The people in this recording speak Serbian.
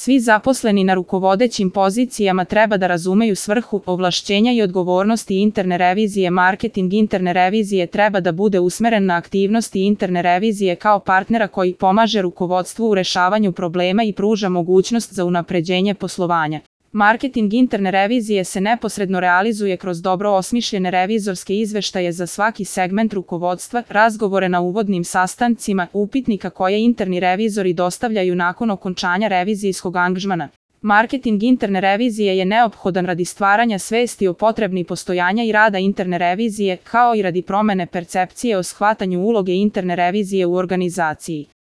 Svi zaposleni na rukovodećim pozicijama treba da razumeju svrhu, ovlašćenja i odgovornosti interne revizije. Marketing interne revizije treba da bude usmeren na aktivnosti interne revizije kao partnera koji pomaže rukovodstvu u rešavanju problema i pruža mogućnost za unapređenje poslovanja. Marketing interne revizije se neposredno realizuje kroz dobro osmišljene revizorske izveštaje za svaki segment rukovodstva, razgovore na uvodnim sastancima, upitnika koje interni revizori dostavljaju nakon okončanja revizijskog angažmana. Marketing interne revizije je neophodan radi stvaranja svesti o potrebi postojanja i rada interne revizije, kao i radi promene percepcije o shvatanju uloge interne revizije u organizaciji.